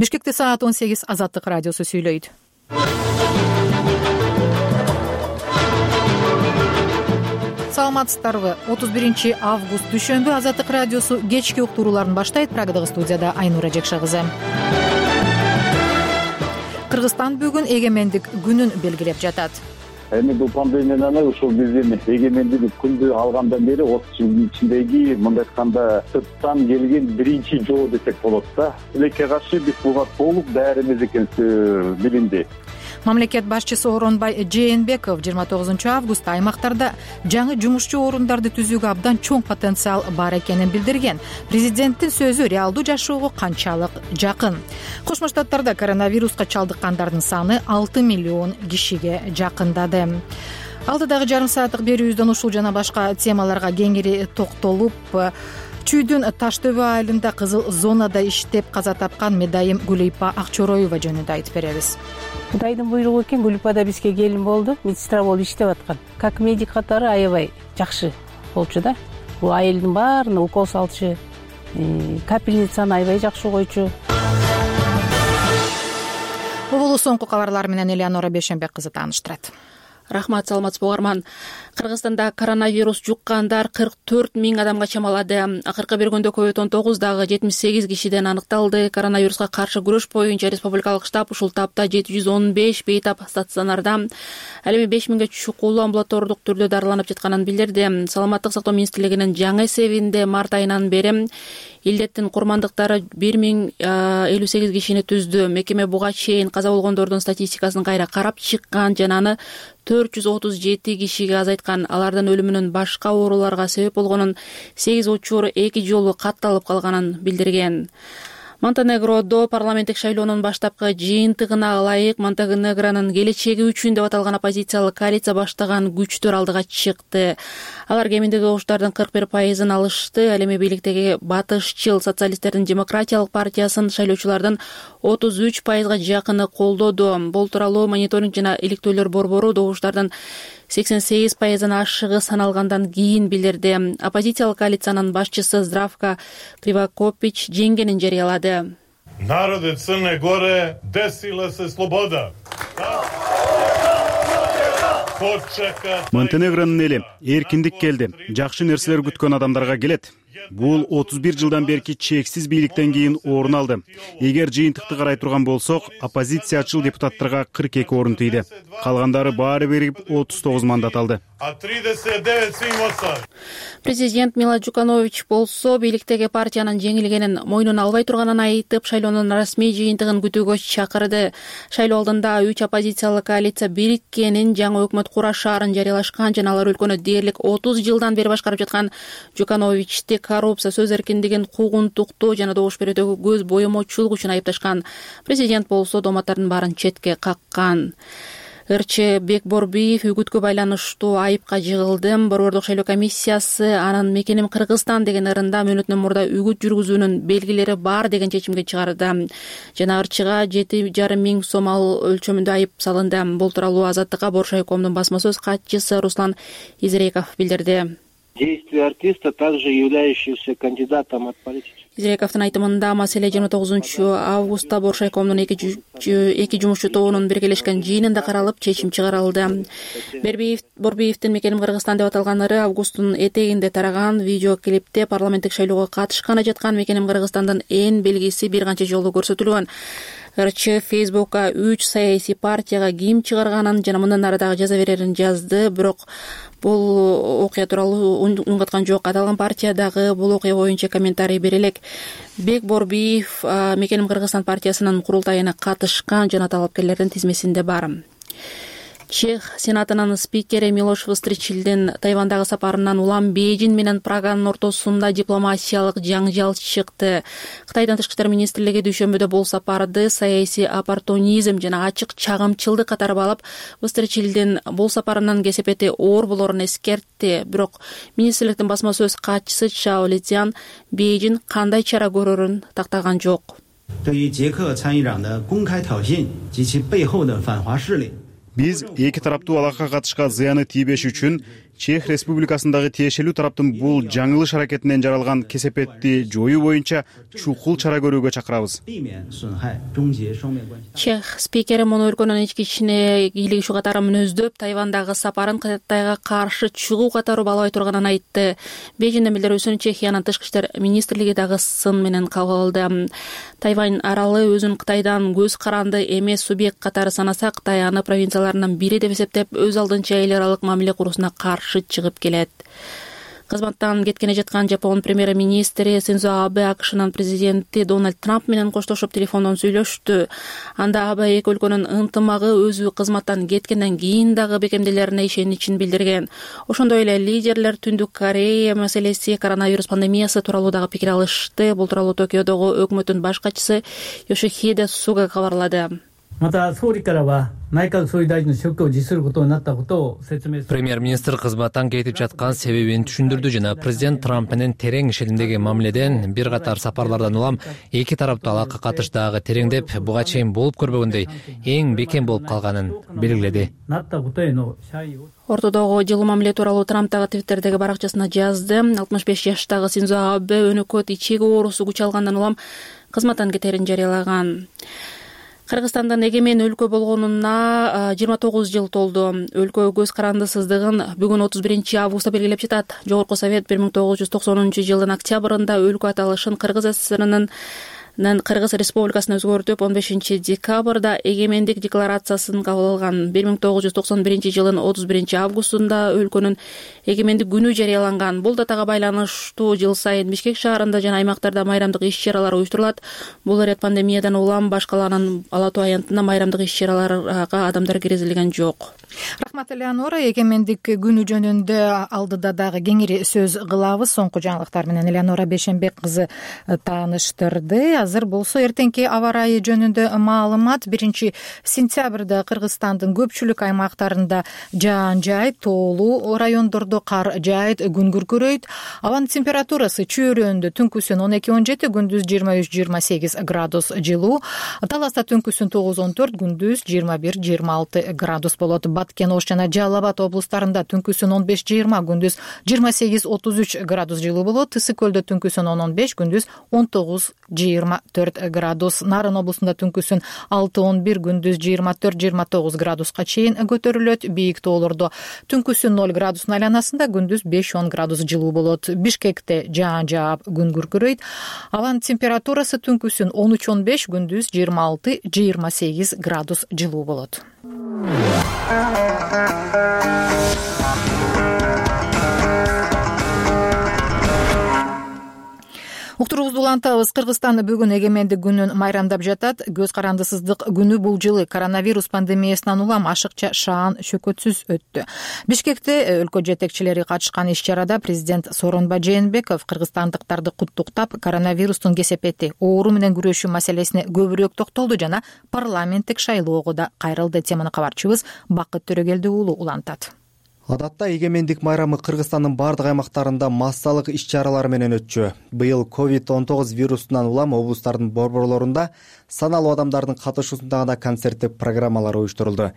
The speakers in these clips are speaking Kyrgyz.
Бишкекте саат 18 Азаттык радиосу сүйлөйт. Саламатсыздарбы? 31 август дүйшөмбү Азаттык радиосу кечки уктурууларын баштайт. Прагадагы студияда Айнура Жекша кызы. Кыргызстан бүгүн эгемендик күнүн белгилеп жатат. Эми бул пандемияны ушул биздин эгемендик күндү алгандан бери 30 жылдын ичиндеги мындай айтканда сырттан келген биринчи жоо десек болот да. Тилекке каршы биз буга толук даярбыз экенибиз билинди. Мамлекет башчысы Оронбай Жээнбеков 29 августта аймактарда жаңы жумушчу орундарды түзүүгө абдан чоң потенциал бар экенин билдирген. Президенттин сөзү реалдуу жашоого канчалык жакын? Кошмо Штаттарда коронавируска чалдыккандардын саны 6 миллион кишиге жакындады. Алдыдагы жарым сааттык берүүбүздөн ушул жана башка темаларга кеңири токтолуп, Чүйдүн Таштөбө айылында кызыл зонада иштеп каза тапкан медайым Гүлипа Акчороева жөнүндө айтып беребиз. Кудайдын буйругу экен, Гүлипа да бизге келин болду, медсестра болуп иштеп аткан. Как медик катары аябай жакшы болчу да. Бул айылдын баарына укол салчу, капельницаны аябай жакшы койчу. Бул соңку кабарлар менен Элеонора Бешенбек кызы тааныштырат. Рахмат, саламатсызбы угарман. Кыргызстанда коронавирус жуккандар 44 миң адамга чамалады. Акыркы бир күндө COVID-19 дагы 78 кишиден аныкталды. Коронавируска каршы күрөш боюнча республикалык штаб ушул тапта 715 бейтап стационарда, ал эми 5 миңге чукулуу амбулатордук түрдө дарыланып жатканын билдирди. Саламаттык сактоо министрлигинин жаңы эсебинде март айынан бери илдеттин курмандыктары 1058 кишини түздү. Мекеме буга чейин каза болгондордун статистикасын кайра карап чыккан жана аны 437 кишиге азайткан. Алардын өлүмүнүн башка ооруларга себеп болгонун 8 учур 2 жолу катталып калганын билдирген. Монтенегродо парламенттик шайлоонун баштапкы жыйынтыгына ылайык Монтенегронун келечеги үчүн деп аталган оппозициялык коалиция баштаган күчтөр алдыга чыкты. Алар кеминдеги оштардын 41%-ын алышты. Ал эми бийликтеги батышчыл социалисттердин демократиялык партиясын шайлоочулардын 33%-га жакыны колдоду. Бул тууралуу мониторинг жана иликтөөлөр борбору добуштардын 88%-ын ашыгы саналгандан кийин билдирди. Оппозициялык коалициянын башчысы Здравко Кривакопич жеңгенин жарыялады. Народи Црне Горе десила се слобода. Монтенегронун эли эркиндик келди. Жакшы нерселер күткөн адамдарга келет. Бул 31 жылдан берки чексиз бийликтен кийин орун алды. Эгер жыйынтыкты карай турган болсок, оппозициячыл депутаттарга 42 орун тийди. Калгандары баары бирип 39 мандат алды. Президент Мила Джуканович болсо бийликтеги партиянын жеңилгенин мойнуна албай турганын айтып, шайлоонун расмий жыйынтыгын күтүүгө чакырды. Шайлоо алдында 3 оппозициялык коалиция бириккенин, жаңы өкмөт курашаарын жарыялашкан жана алар өлкөнү дээрлик 30 жылдан бери башкарып жаткан Джукановичти коррупция, сөз эркиндигин куугунтуктоо жана добуш берүүдөгү көз боемочулук үчүн айыпташкан. Президент болсо дооматтардын баарын четке каккан. РЧ Бекборбиев үгүткө байланыштуу айыпка жыгылды. Борбордук шайлоо комиссиясы анын мекеним Кыргызстан деген ырында мөөнөтүнөн мурда үгүт жүргүзүүнүн белгилери бар деген чечимге чыгарды. Жана РЧга 7,5 миң сом өлчөмүндө айып салынды. Бул тууралуу Азаттыкка Боршайкомдун басма сөз катчысы Руслан Изреков билдирди. Действия артиста, также являющегося кандидатом от политических. Изрековдун айтымында маселе 29 августта Боршайкомдун эки жумушчу тобунун биргелешкен жыйынында каралып, чечим чыгарылды. Борбиевдин мекеним Кыргызстан деп аталган ыры августтун этегинде тараган. Видеоклипте парламенттик шайлоого катышканы жаткан мекеним Кыргызстандын эн белгиси бир канча жолу көрсөтүлгөн. РЧ Фейсбукка 3 саясий партияга ким чыгарганын жана мындан ары дагы жаза берерин жазды. Бирок бул окуя тууралуу үн каткан жок. Аталган партия дагы бул окуя боюнча комментарий бере элек. Бекборбиев мекеним Кыргызстан партиясынын курултайына катышкан жана талапкерлердин тизмесинде бар. Чех сенатынын спикери Милош Востричилдин Тайвандагы сапарынан улам Бейжин менен Праганын ортосунда дипломатиялык жаңжал чыкты. Кытайдын тышкы иштер министрлиги дүйшөмбүдө бул сапарды саясий оппортунизм жана ачык чагымчылдык катары алып, Востричилдин бул сапарынын кесепети оор болорун эскертти. Бирок министрликтин басма сөз катчысы Чао Литян Бейжин кандай чара көрөрүн тактаган жок. Биз эки тараптуу алакка катышка зыяны тийбеш үчүн Чех Республикасындагы тиешелүү тараптын бул жаңылыш аракетинен жаралган кесепетти жоюу боюнча чукул чара көрүүгө чакырабыз. Чех спикери муну өлкөнүн ички ишине кийлигишүү катары мүнөздөп, Тайвандагы сапарын Кытайга каршы чыгуу катары баалабай турганын айтты. Бейжиңдин билдирүүсүнчө Чехиянын тышкы иштер министрлиги дагы сын менен кабыл алды. Тайвань аралы өзүн Кытайдан көз каранды эмес субъект катары санаса, Кытай аны провинцияларынын бири деп эсептеп, өз алдынча эл аралык мамиле куруусуна каршы чыгып келет. Кызматтан кеткене жаткан Жапон премьер-министри Синдзо Абе АКШнын президенти Дональд Трамп менен коштошуп телефондон сүйлөштү. Анда Абе эки өлкөнүн ынтымагы өзү кызматтан кеткенден кийин дагы бекемделерине ишеничин билдирген. Ошондой эле лидерлер Түндүк Корея маселеси, коронавирус пандемиясы тууралуу дагы пикир алышты. Бул тууралуу Токиодогу өкмөттүн баш катчысы Йошихиде Суга кабарлады. Премьер-министр кызматтан кетип жаткан себебин түшүндүрдү жана президент Трамп менен терең шилиндеги мамиледен, бир катар сапарлардан улам эки тараптуу алака катыштагы тереңдеп, буга чейин болуп көрбөгөндөй эң бекем болуп калганын белгиледи. Ортодогу жылуу мамиле тууралуу Трамп дагы Твиттердеги баракчасына жазды. 65 жаштагы Синдзо Абе өнөкөт ичеги оорусу күч алгандан улам кызматтан кетерин жарыялаган. Кыргызстандын эгемен өлкө болгонуна 29 жыл толду. Өлкө көз карандысыздыгын бүгүн 31 августта белгилеп жатат. Жогорку совет 1990 жылдын октябрында өлкө аталышын Кыргыз СССРнын Кыргыз Республикасына өзгөртүп, 15 декабрда эгемендик декларациясын кабыл алган. 1991 жылдын 31 августунда өлкөнүн эгемендик күнү жарыяланган. Бул датага байланыштуу жыл сайын Бишкек шаарында жана аймактарда майрамдык иш-чаралар уюштурулат. Бул ирет пандемиядан улам баш калаанын Ала Тоо аянтына майрамдык иш-чараларга адамдар киргизилген жок. Рахмат, Элеонора. Эгемендик күнү жөнүндө алдыда дагы кеңири сөз кылабыз. Соңку жаңылыктар менен Элеонора Бейшенбек кызы тааныштырды. Азыр болсо эртеңки аба ырайы жөнүндө маалымат. 1 сентябрда Кыргызстандын көпчүлүк аймактарында жаан жайып, тоолуу райондордо кар жаайт, күн күркүрөйт. Абанын температурасы чөйрөндө түнкүсүн 12-17, күндүз 23-28 градус жылуу. Таласта түнкүсүн 9-14, күндүз 21-26 градус болот. Баткен, Ош жана Жалал Абад облустарында түнкүсүн 15-20, күндүз 28-33 градус жылуу болот. Ысык көлдө түнкүсүн 10-15, күндүз 19-24 градус. Нарын облусунда түнкүсүн 6-11, күндүз 24-29 градуска чейин көтөрүлөт. Бийик тоолордо түнкүсүн 0 градустун айланасында, күндүз 5-10 градус жылуу болот. Бишкекте жаан жаап, күн күркүрөйт. Абанын температурасы түнкүсүн 13-15, күндүз 26-28 градус жылуу болот. Уктуруубузду улантабыз. Кыргызстан бүгүн эгемендик күнүн майрамдап жатат. Көз карандысыздык күнү бул жылы коронавирус пандемиясынан улам ашыкча шаан шөкөтсүз өттү. Бишкекте өлкө жетекчилери катышкан иш-чарада президент Сооронбай Жээнбеков кыргызстандыктарды куттуктап, коронавирустун кесепети, оору менен күрөшүү маселесине көбүрөөк токтолду жана парламенттик шайлоого да кайрылды. Теманы кабарчыбыз Бакыт Төрөгелди уулу улантат. Адатта эгемендик майрамы Кыргызстандын бардык аймактарында массалык иш-чаралар менен өтчү. Быйыл COVID-19 вирусунан улам облустардын борборлорунда саналуу адамдардын катышуусунда гана концерттик программалар уюштурулду.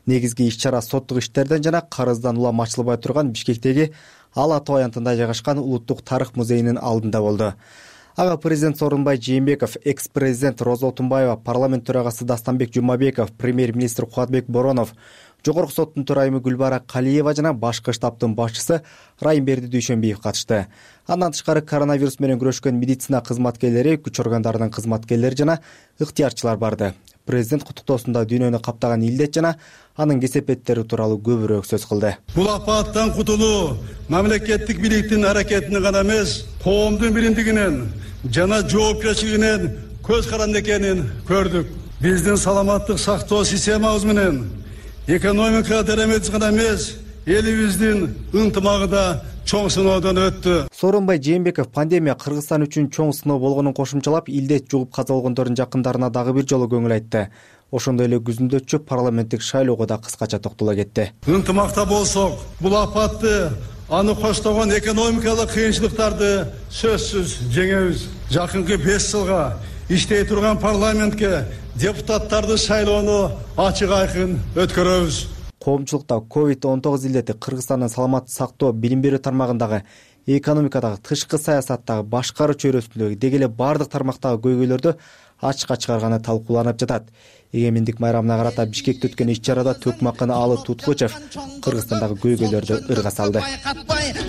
Негизги иш-чара соттук иштерден жана карыздан улам ачылбай турган Бишкектеги Ала Тоо аянтында жайгашкан Улуттук тарых музейинин алдында болду. Ага президент Сооронбай Жээнбеков, экс-президент Роза Отунбаева, парламент төрагасы Дастанбек Жумабеков, премьер-министр Кубатбек Боронов, Жогорку соттун төрайымы Гүлбара Калиева жана башкы штабтын башчысы Райымберди Дүйшөнбиев катышты. Андан тышкары коронавирус менен күрөшкөн медицина кызматкерлери, күч органдарынын кызматкерлери жана ыктыярчылар барды. Президент куттуктоосунда дүйнөнү каптаган илдет жана анын кесепеттери тууралуу көбүрөөк сөз кылды. Бул апаттан кутулуу мамлекеттик бийликтин аракетине гана эмес, коомдун биримдигинен жана жоопкерчилигинен көз каранды экенин көрдүк. Биздин саламаттык сактоо системабыз менен экономика теремет гана эмес, элибиздин ынтымагы да чоң сыноодон өттү. Сооронбай Жээнбеков пандемия Кыргызстан үчүн чоң сыноо болгонун кошумчалап, илдет жугуп каза болгондордун жакындарына дагы бир жолу көңүл айтты. Ошондой эле күзүндө парламенттик шайлоого да кыскача токтоло кетти. Ынтымакта болсок, бул апатты, аны коштогон экономикалык кыйынчылыктарды сөзсүз жеңебиз. Жакынкы 5 жылга иштей турган парламентке депутаттарды шайлоону ачык айкын өткөрөбүз. коомчулукта COVID-19 илдети Кыргызстандын саламаттык сактоо, билим берүү тармагындагы, экономикадагы, тышкы саясаттагы, башкаруу чөйрөсүндөгү деги эле бардык тармактагы көйгөйлөрдү ачыкка чыгарганы талкууланып жатат. Эгемендик майрамына карата Бишкекте өткөн иш-чарада Төкмакын Алы Туткучев Кыргызстандагы көйгөйлөрдү ырга салды.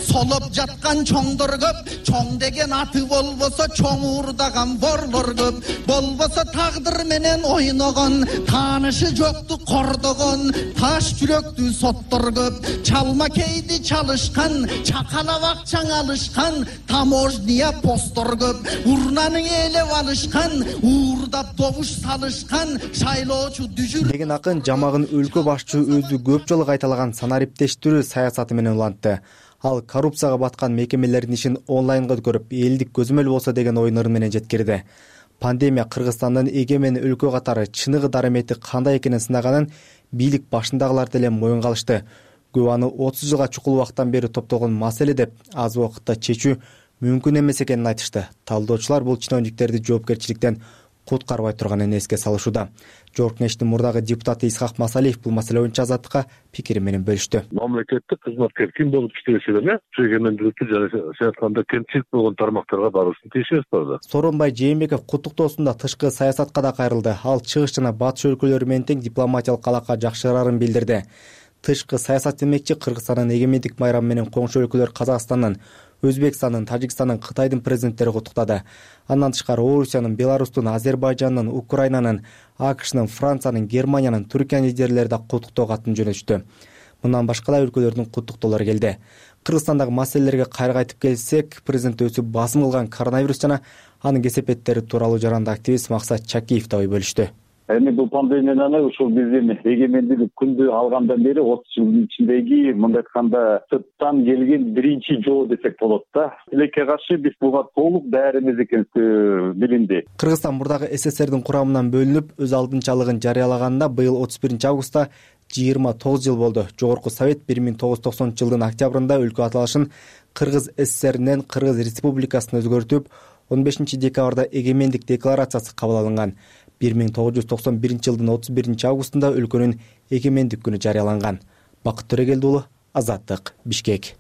Солоп жаткан чоңдор көп, чоң деген аты болбосо чоң уурдаган борлор көп, болбосо тагдыр менен ойногон, таанышы жокту кордогон, таш жүрөктүү соттор көп, чалма кейди чалышкан, чакалап акчаң алышкан, таможня посттор көп, урнаны ээлеп алышкан, уурдап добуш салышкан деген акын жамагын өлкө башчы өзү көп жолу кайталаган санариптештирүү саясаты менен улантты. Ал коррупцияга баткан мекемелердин ишин онлайнга өткөрүп, элдик көзөмөл болсо деген ойнору менен жеткирди. Пандемия Кыргызстандын эгемен өлкө катары чыныгы дарамети кандай экенин сынаганын бийлик башындагылар деле моюнга алышты. Көп аны 30 жылга чукул убакыттан бери топтогон маселе деп аз убакытта чечүү мүмкүн эмес экенин айтышты. Талдоочулар бул чиновниктерди жоопкерчиликтен куткарбай турганын эске салышууда. Жогорку Кеңештин мурдагы депутаты Исхак Масалиев бул маселе боюнча Азаттыкка пикирин менен бөлүштү. Мамлекеттик кызматкер ким болуп иштесе деле, эгемендүүлүктү жана саясатканда кемчилик болгон тармактарга баруусун тийишибиз бар. Сооронбай Жээнбеков куттуктоосунда тышкы саясатка да кайрылды. Ал чыгыш жана батыш өлкөлөрү менен тең дипломатиялык алака жакшырарын билдирди. Тышкы саясат демекчи Кыргызстандын эгемендик майрамы менен коңшу өлкөлөр Казакстандын, Өзбекстандын, Тажикстандын, Кытайдын президенттери куттуктады. Андан тышкары Орусиянын, Беларустун, Азербайжандын, Украинанын, АКШнын, Франциянын, Германиянын, Түркиянын лидерлери да куттуктоо катын жөнөттү. Мындан башка да өлкөлөрдүн куттуктоолору келди. Кыргызстандагы маселелерге кайра кайтып келсек, президент өзү басым кылган коронавирус жана анын кесепеттери тууралуу жаранды активист Максат Чакиев да ой бөлүштү. Эми бул пандемиядан ушул биздин эгемендүүлүк күндү алгандан бери 30 жылдын ичиндеги мындай айтканда сырттан келген биринчи жоо десек болот да. Тилекке каршы биз буга толук дайырбыз экенибиз билинди. Кыргызстан мурдагы СССРдин курамынан бөлүнүп, өз алдынчалыгын жарыялаганында быйыл 31-августта 29 жыл болду. Жогорку Совет 1990 жылдын октябрында өлкө аталышын Кыргыз СССРинен Кыргыз Республикасына өзгөртүп, 15 декабрда эгемендик декларациясы кабыл алынган. 1991 жылдын 31 августунда өлкөнүн эгемендик күнү жарыяланган. Бакыт Төрөгелди уулу, Азаттык, Бишкек.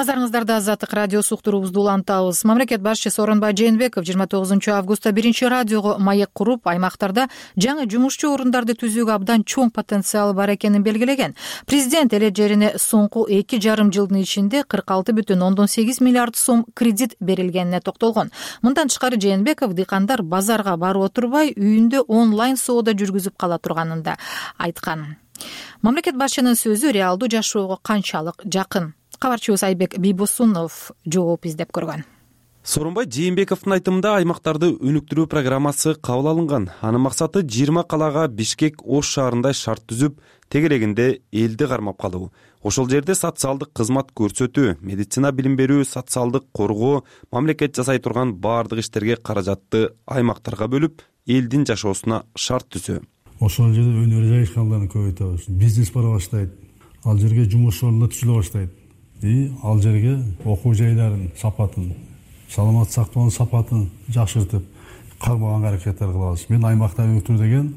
Назарыңыздарда Азаттык радиосу уктуруубузду улантабыз. Мамлекет башчысы Сооронбай Жээнбеков 29 августта биринчи радиого маек куруп, аймактарда жаңы жумушчу орундарды түзүүгө абдан чоң потенциал бар экенин белгилеген. Президент эле жерине соңку 2,5 жылдын ичинде 46,8 миллиард сом кредит берилгенине токтолгон. Мындан тышкары Жээнбеков дыйкандар базарга барып отурбай, үйүндө онлайн соода жүргүзүп кала турганын да айткан. Мамлекет башчынын сөзү реалдуу жашоого канчалык жакын? Кабарчыбыз Айбек Бийбосунов жооп издеп көргөн. Сооронбай Жээнбековдун айтымында аймактарды өнүктүрүү программасы кабыл алынган. Анын максаты 20 калаага Бишкек, Ош шаарындай шарт түзүп, тегерегинде элди кармап калуу. Ошол жерде социалдык кызмат көрсөтүү, медицина билим берүү, социалдык коргоо, мамлекет жасай турган баардык иштерге каражатты аймактарга бөлүп, элдин жашоосуна шарт түзүү. Ошол жерде өнөр жайышкандарды көбөйтөбүз. Бизнес бара баштайт. Ал жерге жумуш орундар түзүлө баштайт. Ал жерге окуу жайларын сапатын, саламаттык сактоонун сапатын жакшыртып, кармаганга аракеттер кылабыз. Мен аймакта өнүктүрүү деген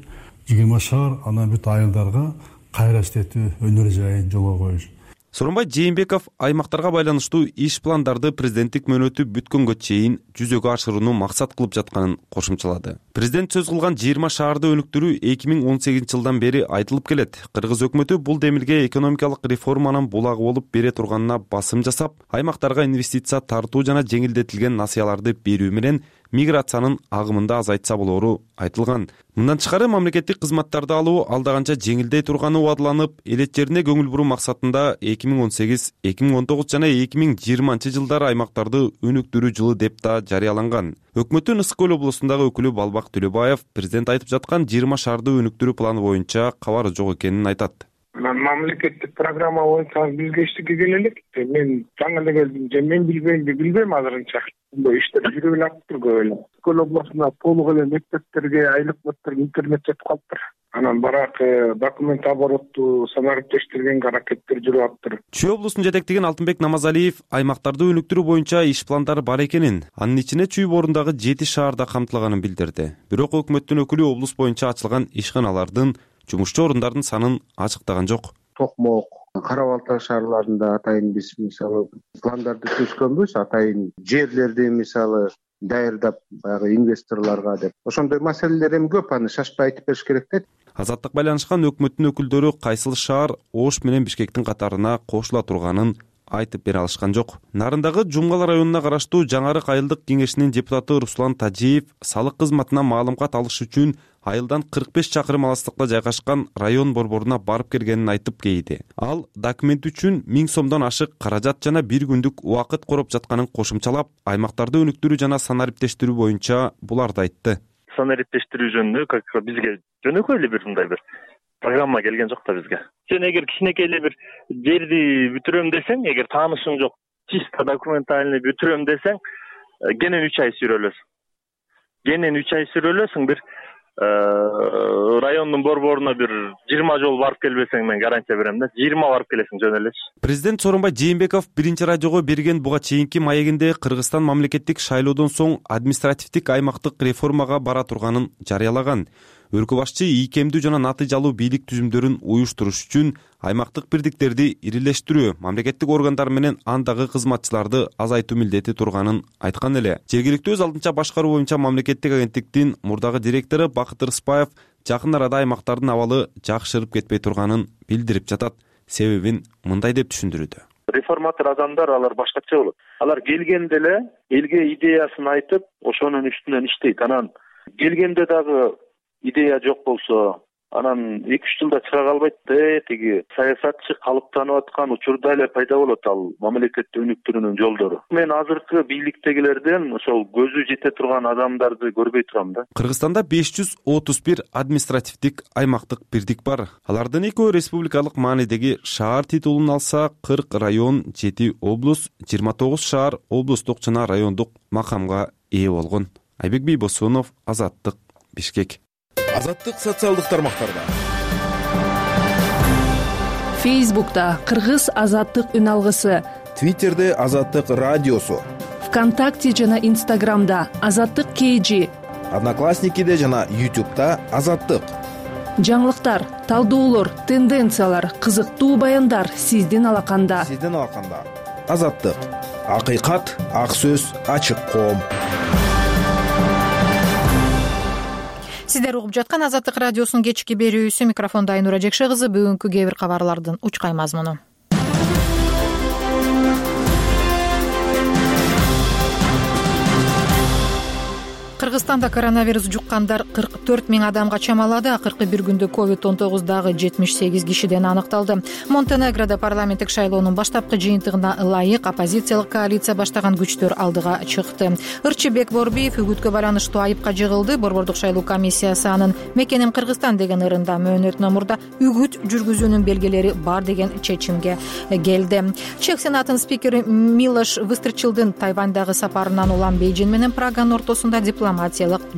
20 шаар, анан бүт айылдарга кайра иштетүү өнөр жайын жолго коюш. Сооронбай Жээнбеков аймактарга байланыштуу иш пландарды президенттик мөөнөтү бүткөнгө чейин жүзөгө ашырууну максат кылып жатканын кошумчалады. Президент сөз кылган 20 шаарды өнүктүрүү 2018 жылдан бери айтылып келет. Кыргыз өкмөтү бул демилге экономикалык реформанын булагы болуп бере турганына басым жасап, аймактарга инвестиция тартуу жана жеңилдетилген насыяларды берүү менен миграциянын агымында азайтса болору айтылган. Мындан тышкары мамлекеттик кызматтарды алуу алда канча жеңилдей турганы убадыланып, элет жерине көңүл буруу максатында 2018, 2019 жана 2020 жылдары аймактарды өнүктүрүү жылы деп да жарыяланган. Өкмөттүн Ысык көл облусундагы өкүлү Балбак Төлөбаев президент айтып жаткан 20 шаарды өнүктүрүү планы боюнча кабары жок экенин айтат. Мамлекеттик программа боюнча бизге иштикке келелик. Мен жаңы эле келдим, же мен билбейм азырынча. Бул иштер жүрүп эле атыптыр көп эле. Көл облусунда толук эле мектептерге айлык интернет жетип калыптыр. Анан баракы документ оборотту санариптештиргенге аракеттер жүрүп аптыр. Чүй облусун жетектеген Алтынбек Намазалиев аймактарды өнүктүрүү боюнча иш пландары бар экенин, анын ичине Чүй борундагы 7 шаарда камтылганын билдирди. Бирок өкмөттүн өкүлү облус боюнча ачылган ишканалардын, жумушчу орундардын санын ачыктаган жок. Токмок, Кара Балтай шаарларында атайын биз мисалы пландарды түзгөнбүз, атайын жерлерди мисалы даярдап баягы инвесторлорго деп. Ошондой маселелер эми көп, аны шашпай айтып бериш керек дейт. Азаттык байланышкан өкмөттүн өкүлдөрү кайсыл шаар Ош менен Бишкектин катарына кошула турганын айтып бере алышкан жок. Нарындагы Жумгал районуна караштуу Жаңарык айылдык кеңешинин депутаты Руслан Тажиев салык кызматына маалымат алыш үчүн айылдан 45 чакырым алыстыкта жайгашкан район борборуна барып келгенин айтып кейди. Ал документ үчүн 1000 сомдон ашык каражат жана бир күндүк убакыт короп жатканын кошумчалап, аймактарды өнүктүрүү жана санариптештирүү боюнча буларды айтты. Санариптештирүү жөнүндө как бизге жөнөкөй эле бир мындай бир программа келген жок да бизге. Сен эгер кичинекей эле бир жерди бүтүрөм десең, эгер таанышың жок, чисто документально бүтүрөм десең, кенен 3 ай сүрөлөсүң. Бир райондун борборуна бир 20 жолу барып келбесең, мен гарантия берем да, 20 барып келесиң жөн элечи. Президент Сооронбай Жээнбеков биринчи радиого берген буга чейинки маегинде Кыргызстан мамлекеттик шайлоодон соң административдик аймактык реформага бара турганын жарыялаган. Өлкө башчы ийкемдүү жана натыйжалуу бийлик түзүмдөрүн уюштуруш үчүн аймактык бирдиктерди ирилештирүү, мамлекеттик органдар менен андагы кызматчыларды азайтуу милдети турганын айткан эле. Жергиликтүү өз алдынча башкаруу боюнча мамлекеттик агенттиктин мурдагы директору Бакыт Рыспаев жакын арада аймактардын абалы жакшырып кетпей турганын билдирип жатат. Себебин мындай деп түшүндүрүүдө. Реформатор адамдар алар башкача болот. Алар келгенде эле элге идеясын айтып, ошонун үстүнөн иштейт. Анан келгенде дагы идея жок болсо, анан 2-3 жылда чыга калбайт да, тиги саясатчы калыптанып аткан учурда эле пайда болот ал мамлекетти өнүктүрүүнүн жолдору. Мен азыркы бийликтегилерден ошол көзү жете турган адамдарды көрбөй турам да. Кыргызстанда 531 административдик аймактык бирдик бар. Алардын экөө республикалык маанидеги шаар титулун алса, 40 район, 7 облус, 29 шаар облустук жана райондук макамга ээ болгон. Айбек Бийбосунов, Азаттык, Бишкек. Азаттык социалдык тармактарда. Фейсбукта Кыргыз азаттык үн алгысы, Твиттерде Азаттык радиосу, ВКонтакте жана Инстаграмда Азаттык KG, Одноклассникиде жана YouTube'да Азаттык. Жаңылыктар, талдоолор, тенденциялар, кызыктуу баяндар сиздин алаканда. Азаттык. Акыйкат, ак сөз, ачык коом. Сиздер угуп жаткан Азаттык радиосунун кечки берүүсү, микрофондо Айнура Жекше кызы. Бүгүнкү кээ бир кабарлардын учкай мазмуну. Кыргызстанда коронавирус жуккандар 44 000 адамга чамалады. Акыркы бир күндө COVID-19 дагы 78 кишиден аныкталды. Монтенегрода парламенттик шайлоонун баштапкы жыйынтыгына ылайык оппозициялык коалиция баштаган күчтөр алдыга чыкты. Ырчыбек Борбиев үгүткө байланыштуу айыпка жыгылды. Борбордук шайлоо комиссиясы анын «Мекеним Кыргызстан» деген ырында мөөнөтүнө мурда үгүт жүргүзүүнүн белгилери бар деген чечимге келди. Чех сенатынын спикери Милош Выстрчилдин Тайвандагы сапарынан улам Бейжин менен Праганын ортосунда дипломатиялык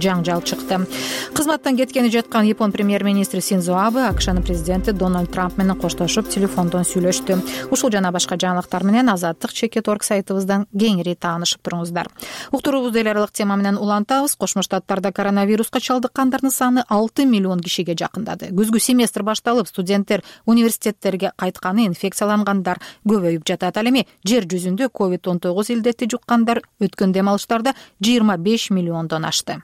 жаңжал чыкты. Кызматтан кеткени жаткан Япон премьер-министри Синдзо Абе АКШнын президенти Дональд Трамп менен коштошуп телефондон сүйлөштү. Ушул жана башка жаңылыктар менен Азаттык.org сайтыбыздан кеңири таанышып туруңуздар. Уктуруубузду эл аралык тема менен улантабыз. Кошмо Штаттарда коронавируска чалдыккандардын саны 6 миллион кишиге жакындады. Күзгү семестр башталып, студенттер университеттерге кайтканы инфекциялангандар көбөйүп жатат. Ал эми жер жүзүндө COVID-19 илдетти жуккандар өткөн дем алыштарда 25 миллиондон ашты.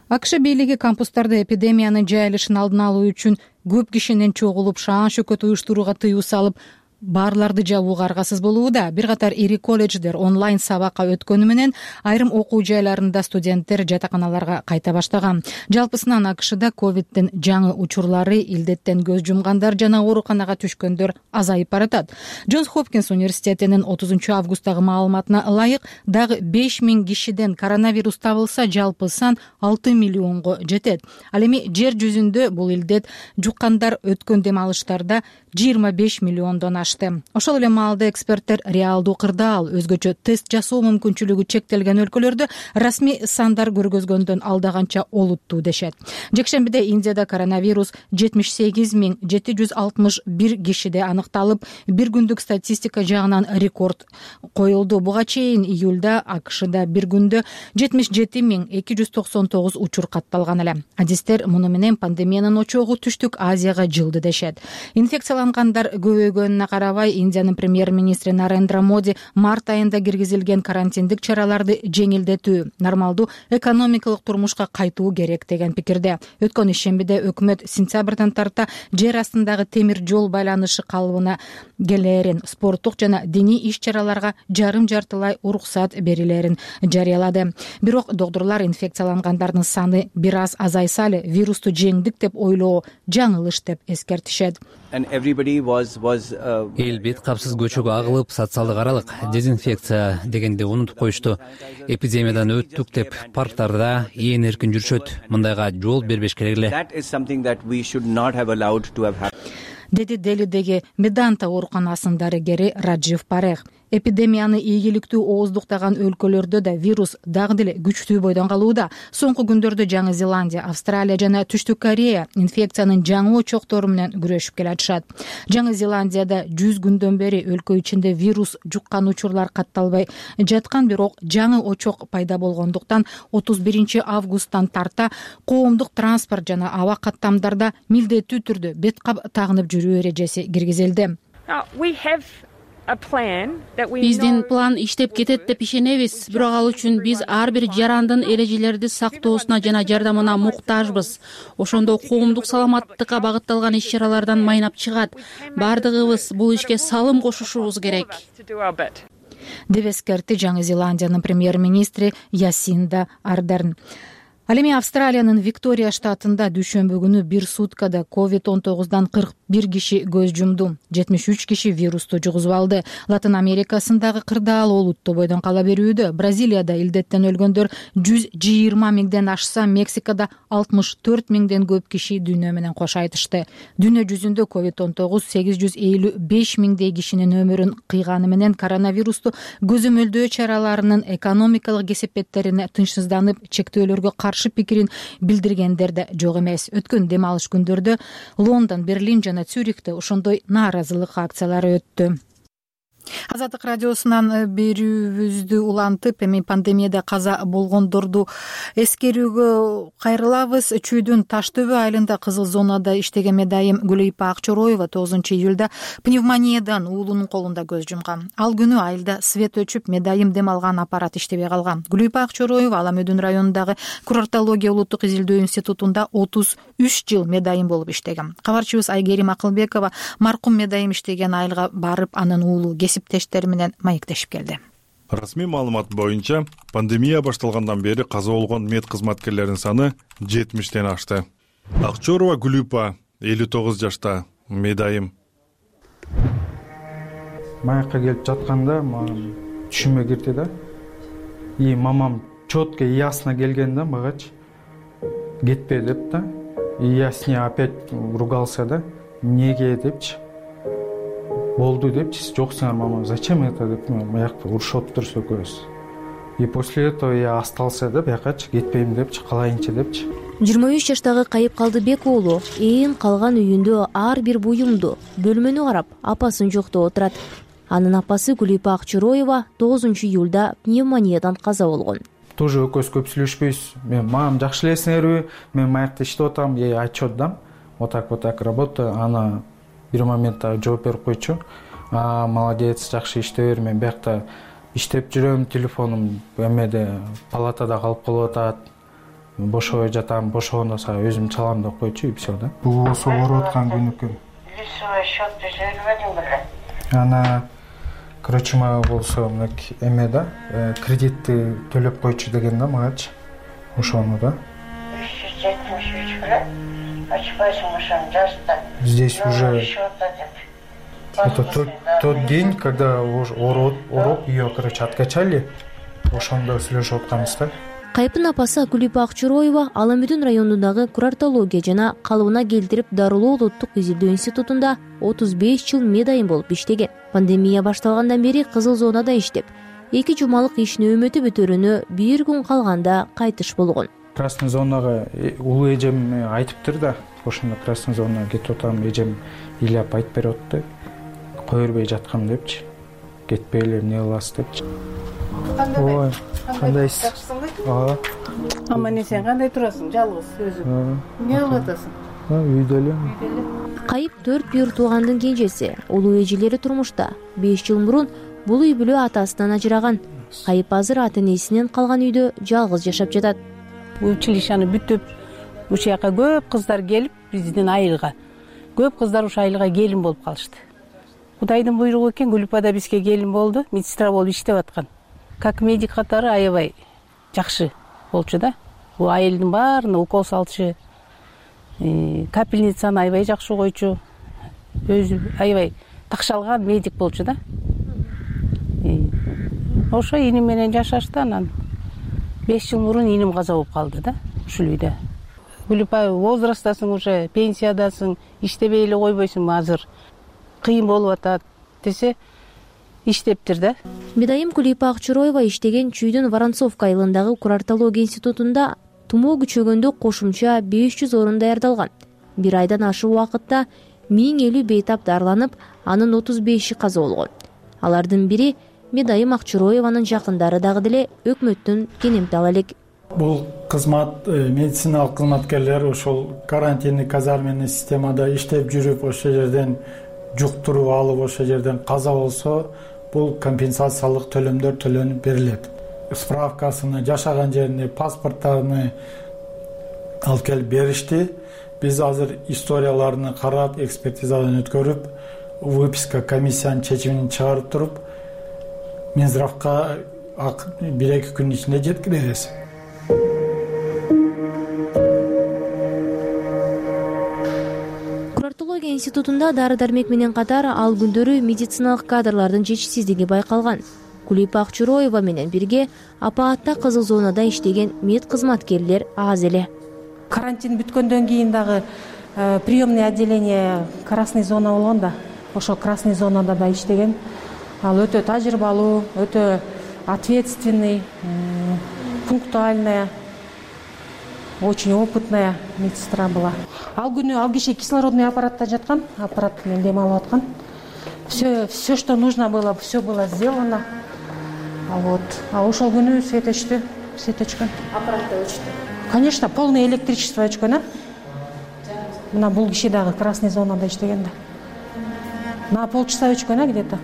АКШ бийлиги кампустарда эпидемиянын жайылышын алдын алуу үчүн көп кишинин чогулуп шаан шөкөт уюштурууга тыюу салып, барларды жабууга аргасыз болууда. Бир катар ири колледждер онлайн сабакка өткөнү менен айрым окуу жайларында студенттер жатаканаларга кайта баштаган. Жалпысынан АКШда ковиддин жаңы учурлары, илдеттен көз жумгандар жана ооруканага түшкөндөр азайып баратат. Джонс Хопкинс университетинин 30 августтагы маалыматына ылайык дагы 5000 кишиден коронавирус табылса, жалпы сан 6 миллионго жетет. Ал эми жер жүзүндө бул илдет жуккандар өткөн дем алыштарда 25 миллиондон ашты. алышты. Ошол эле маалда эксперттер реалдуу кырдаал, өзгөчө тест жасоо мүмкүнчүлүгү чектелген өлкөлөрдө расмий сандар көргөзгөндөн алдаганча олуттуу дешет. Жекшембиде Индияда коронавирус 78.761 кишиде аныкталып, бир күндүк статистика жагынан рекорд коюлду. Буга чейин июлда АКШда бир күндө 77.299 учур катталган эле. Адистер муну менен пандемиянын очогу Түштүк Азияга жылды дешет. Инфекциялангандар көбөйгөнүнө карабай, Индиянын премьер-министри Нарендра Моди март айында киргизилген карантиндик чараларды жеңилдетүү, нормалдуу экономикалык турмушка кайтуу керек деген пикирде. Өткөн ишембиде өкмөт сентябрдан тарта жер астындагы темир жол байланышы калыбына келээрин, спорттук жана диний иш-чараларга жарым-жартылай уруксат берилерин жарыялады. Бирок доктурлар инфекциялангандардын саны бир аз азайса эле вирусту жеңдик деп ойлоо жаңылыш деп эскертишет. Эл бет капсыз көчөгө агылып, социалдык аралык дезинфекция дегенди унутуп коюшту. Эпидемиядан өттүк деп парктарда ээн эркин жүрүшөт. Мындайга жол бербеш керек эле. Деди Делидеги Меданта ооруканасынын дарыгери Раджив Парех. Эпидемияны ийгиликтүү ооздуктаган өлкөлөрдө да вирус дагы деле күчтүү бойдон калууда. Соңку күндөрдө Жаңы Зеландия, Австралия жана Түштүк Корея инфекциянын жаңы очоктору менен күрөшүп келатышат. Жаңы Зеландияда 100 күндөн бери өлкө ичинде вирус жуккан учурлар катталбай жаткан, бирок жаңы очок пайда болгондуктан 31 августтан тарта коомдук транспорт жана аба каттамдарда милдеттүү түрдө бет кап тагынып жүрүү эрежеси киргизилди. Биздин план иштеп кетет деп ишенебиз, бирок ал үчүн биз ар бир жарандын эрежелерди сактоосуна жана жардамына муктажбыз. Ошондо коомдук саламаттыкка багытталган иш-чаралардан майнап чыгат. Бардыгыбыз бул ишке салым кошушубуз керек. Деп эскертти Жаңы Зеландиянын премьер-министри Ясинда Ардерн. Ал эми Австралиянын Виктория штатында дүйшөмбү күнү бир суткада COVID-19 41 киши көз жумду. 73 киши вирусту жугузуп алды. Латын Америкасындагы кырдаал олуттуу бойдон кала берүүдө. Бразилияда илдеттен өлгөндөр 120 миңден ашса, Мексикада 64 миңден көп киши дүйнө менен кош айтышты. Дүйнө жүзүндө COVID-19 855 миңдей кишинин өмүрүн кыйганы менен коронавирусту көзөмөлдөө чараларынын экономикалык кесепеттерине тынчсызданып, чектөөлөргө каршы пикирин билдиргендер да жок эмес. Өткөн дем алыш күндөрдө Лондон, Берлин жана Цюрихте ошондой нааразылык акциялары өттү. Азаттык радиосунан берүүбүздү улантып, эми пандемияда каза болгондорду эскерүүгө кайрылабыз. Чүйдүн Таштөбө айылында кызыл зонада иштеген медайым Гүлөйпа Акчороева 9 июлда пневмониядан уулунун колунда көз жумган. Ал күнү айылда свет өчүп, медайым дем алган аппарат иштебей калган. Гүлөйпа Акчороева Ала Мөдүн районундагы курортология улуттук изилдөө институтунда 33 жыл медайым болуп иштеген. Кабарчыбыз Айгерим Акылбекова маркум медайым иштеген айылга барып, анын уулу кесиптештери менен маектешип келди. Расмий маалымат боюнча, пандемия башталгандан бери каза болгон мед кызматкерлеринин саны 70ден ашты. Акчорова Гүлөйпа 59 жашта, медайым. Маякка келип жатканда түшүмө кирди да. И мамам четко ясно келген да магачы. Кетпе деп да. И я с ней опять ругался да. Неге депчи. Болду депчи, жок сиңер мама, зачем это деп маякты урушуп турсу экөөбүз. И после этого я остался да, биякачы кетпейм депчи, калайынчы депчи. 23 жаштагы Кайып Калдыбек уулу ээн калган үйүндө ар бир буюмду, бөлмөнү карап, апасын жоктоп отурат. Анын апасы Гүлөйпа Акчороева 9 июлда пневмониядан каза болгон. Тоже экөөбүз көп сүйлөшпөйбүз. Мен мам жакшы элесиңерби? Мен маякта иштеп атам, ей отчет дам. Вот так работа, ана бир моментте жооп берип койчу. Молодец, жакшы иштеп бер. Мен биякта иштеп жүрөм, телефонум эмеде палатада калып калып атат. Бошобой жатам, бошогондо сага өзүм чалам деп койчу, и все да. Бул болсо ооруп аткан күнүкү. Лицевой счет түзөлбөдүң беле? Ана короче мага болсо эме да, кредитти төлөп койчу деген да магачы. Ошону да. 373 беле? Ачпайсың ошону жазда. Здесь уже это тот день, когда ооруп ее, короче, откачали, ошондо сүйлөшүп атканбыз да. Кайыптын апасы Гүлипа Акчуроева Ала-Мүдүн районундагы курортология жана калыбына келтирип дарылоо улуттук изилдөө институтунда 35 жыл медайым болуп иштеген. Пандемия башталгандан бери кызыл зонада иштеп, 2 жумалык иш нөөмөтү бүтөрүнө 1 күн калганда кайтыш болгон. Красный зонага улуу эжем айтыптыр да, ошондо красный зонага кетип атам, эжем ыйлап айтып берип атты. Кое бербей жаткам депчи. Кетпейле, эмне кыласыз депчи. Ой, кандайсыз? Жакшысыңбы? Аман сен кандай турасың? Жалгыз өзүң. Эмне кылып атасың? Үйдө элем. Кайып 4 бүйүр туугандын кенжеси. Улуу эжелери турмушта. 5 жыл мурун бул үй бүлө атасынан ажыраган. Кайып азыр ата-энесинен калган үйдө жалгыз жашап жатат. Училищаны бүтүп, ушул жака көп кыздар келип, биздин айылга. Көп кыздар ушул айылга келин болуп калышты. Кудайдын буйругу экен, Гүлипа да бизге келин болду, медсестра болуп иштеп аткан. Как медик катары аябай жакшы болчу да. Бул айылдын баарына укол салчу, капельницаны аябай жакшы койчу. Өзү аябай такшалган медик болчу да. Ошо иним менен жашашты, анан 5 жыл мурун иним каза болуп калды да, ушул үйдө. Гүлипа, возрасттасың уже, пенсиядасың, иштебей эле койбойсуңбу азыр? Кыйын болуп атат десе, иштептир да. Медайым Гүлипа Акчуроева иштеген Чүйдүн Воронцовка айылындагы курортология институтунда тумоо күчөгөндө кошумча 500 орун даярдалган. Бир айдан ашык убакытта 1050 бейтап дарыланып, анын 35и каза болгон. Алардын бири Медайым Акчуроеванын жакындары дагы деле өкмөттүн кенемтал элек. Бул кызмат, медициналык кызматкерлер ошол карантиндик казарменный системада иштеп жүрүп, ошол жерден жуктуруп алып, ошол жерден каза болсо, бул компенсациялык төлөмдөр төлөнүп берилет. Справкасыны, жашаган жерине, паспорттарыны алып келип беришти. Биз азыр историяларını карап, экспертизадан өткөрүп, выписка комиссиянын чечимин чыгарып туруп, Минздравга 1-2 күн ичинде жеткиребиз. Курортология институтунда дары-дармек менен катар ал күндөрү медициналык кадрлардын жетишсиздиги байкалган. Гүлипа Акчуроева менен бирге апаатта кызыл зонада иштеген мед кызматкерлер аз эле. Карантин бүткөндөн кийин дагы приемный отделение красный зона болгон да. Ошол красный зонада да иштеген. Ал өтө тажрыйбалуу, өтө ответственный, пунктуальная, очень опытная медсестра была. Ал күнү ал киши кислородный аппаратта жаткан, аппарат менен дем алып аткан. Все, что нужно было, все было сделано. А ошол күнү свет өчтү, свет өчкөн. Аппаратта өчтү. Конечно, полное электричество өчкөн, а? Мына бул киши дагы красный зонада иштеген да. На полчаса өчкөн, где-то.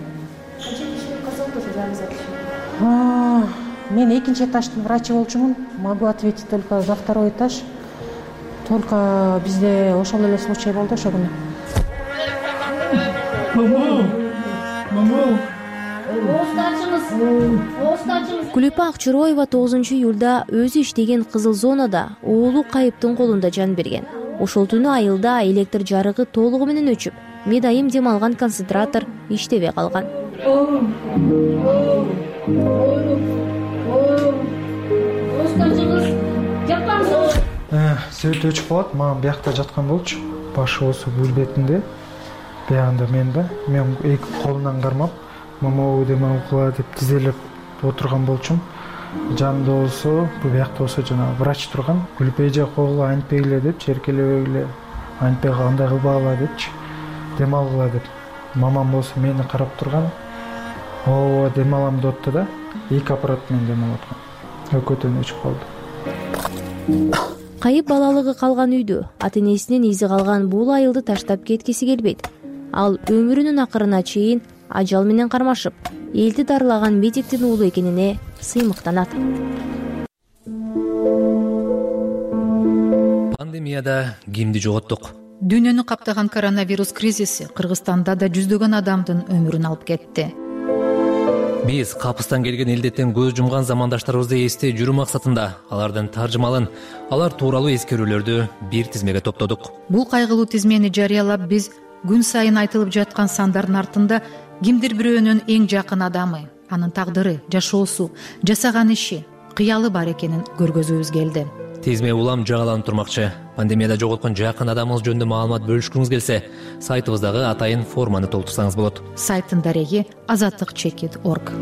Мен экинчи этаждын врачы болчумун. Могу ответить только за второй этаж. Только бизде ошол эле случай болду ошол күнү. Гүлипа Акчуроева 9-июлда өзү иштеген кызыл зонада уулу Кайыптын колунда жан берген. Ошол түнү айылда электр жарыгы толугу менен өчүп, медайым дем алган концентратор иштебей калган. Свет өчүп калат, мага биякта жаткан болчу. Башы болсо бул бетинде. Биягында мен эки колунан кармап, мама дем алгыла деп тизелеп отурган болчум. Жанымда болсо, бул биякта болсо жана врач турган. Гүлипа эже койгула антпегиле деп, черкелебегиле, антпег кандай кылбагыла депчи, дем алгыла деп. Мамам болсо мени карап турган. Ооба дем алам деп атты да, эки аппарат менен дем алып аткан. Өкөтөн өчүп калды. Кайып балалыгы калган үйдө ата-энесинен изи калган бул айылды таштап кеткиси келбейт. Ал өмүрүнүн акырына чейин ажал менен кармашып, элди дарылаган медиктин уулу экенине сыймыктанат. Пандемияда кимди жоготтук? Дүйнөнү каптаган коронавирус кризиси Кыргызстанда да жүздөгөн адамдын өмүрүн алып кетти. Биз капыстан келген илдеттен көз жумган замандаштарыбызды эстей жүрүү максатында алардын таржымалын, алар тууралуу эскерүүлөрдү бир тизмеге топтодук. Бул кайгылуу тизмени жарыялап биз күн сайын айтылып жаткан сандардын артында кимдир бирөөнүн эң жакын адамы, анын тагдыры, жашоосу, жасаган иши, кыялы бар экенин көргөзүүбүз келди. Тизме улам жаңыланып турмакчы. Пандемияда жоготкон жакын адамыңыз жөнүндө маалымат бөлүшкүңүз келсе, сайтыбыздагы атайын форманы толтурсаңыз болот. Сайттын дареги azattik.org.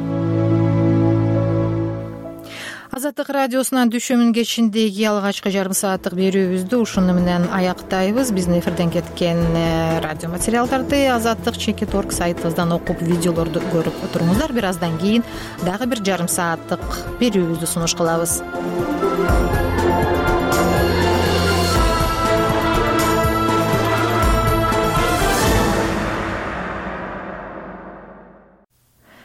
Азаттык радиосунан düşөмүн кечиндеги алгачкы жарым сааттык берүүбүздү ушуну менен аяктайбыз. Биздин эфирден кеткен радио материалдарды azattik.org сайтыбыздан окуп, видеолорду көрүп отуруңуздар. Бир аздан кийин дагы бир жарым сааттык берүүбүздү сунуш кылабыз.